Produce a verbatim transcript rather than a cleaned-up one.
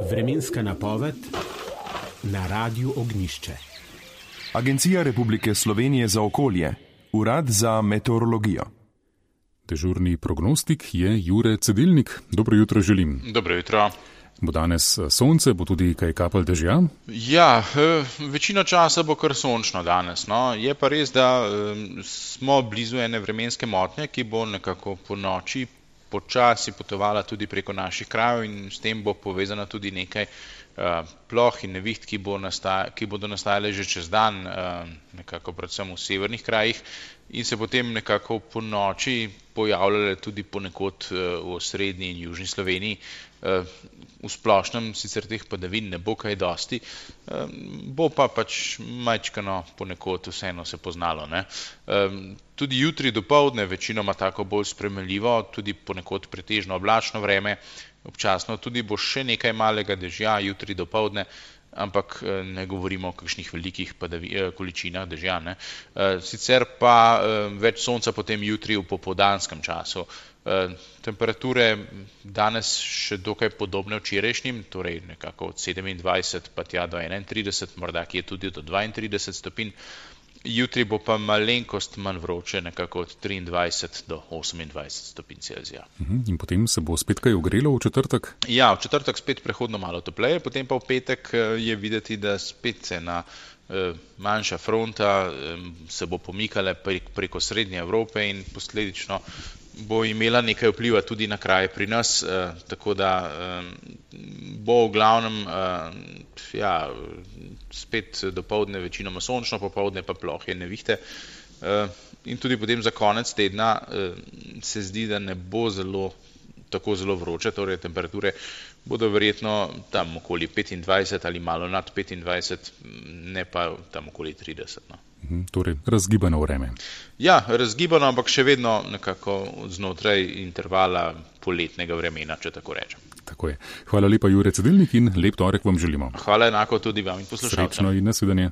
Vremenska napoved na Radiu Ognjišče. Agencija Republike Slovenije za okolje, Urad za meteorologijo. Dežurni prognostik je Jure Cedilnik. Dobro jutro želim. Dobro jutro. Bo danes sonce, bo tudi kaj kapelj dežja? Ja, večino časa bo kar sončno danes. No. Je pa res, da smo blizu ene vremenske motnje, ki bo nekako po noči počasi potovala tudi preko naših krajev in s tem bo povezana tudi nekaj uh, ploh in neviht, ki, bo nastaja, ki bodo nastajale že čez dan, uh, nekako predvsem v severnih krajih in se potem nekako po noči pojavljale tudi ponekod uh, v srednji in južni Sloveniji. Uh, v splošnem sicer teh padavin ne bo kaj dosti, uh, bo pa pač majčkano ponekod vseeno se poznalo. Ne? Uh, tudi jutri dopoldne večinoma tako bolj sprejemljivo, tudi ponekod pretežno oblačno vreme, občasno tudi bo še nekaj malega dežja jutri dopoldne, ampak ne govorimo o kakšnih velikih padavi, količinah dežja. Ne? Sicer pa več sonca potem jutri v popoldanskem času. Temperature danes še dokaj podobne včerajšnjim, torej nekako od sedemindvajset pa tja do enaintrideset, morda ki je tudi do dvaintrideset stopinj. Jutri bo pa malenkost manj vroče, nekako od triindvajset do osemindvajset stopinj Celzija. In potem se bo spet kaj ogrelo v četrtek? Ja, v četrtek spet prehodno malo topleje, potem pa v petek je videti, da spet se na manjša fronta se bo pomikala preko srednje Evrope in posledično bo imela nekaj vpliva tudi na kraje pri nas, tako da bo v glavnem ja, spet dopoldne večinoma sončno, popoldne pa plohe nevihte. In tudi potem za konec tedna se zdi, da ne bo zelo, tako zelo vroče, torej temperature bodo verjetno tam okoli petindvajset ali malo nad petindvajset, ne pa tam okoli trideset. No. Torej, razgibano vreme. Ja, razgibano, ampak še vedno nekako znotraj intervala poletnega vremena, če tako rečem. Tako je. Hvala lepa, Jure Cedilnik, in lep torek vam želimo. Hvala enako tudi vam in poslušalcem. Srečno in nasvidenje.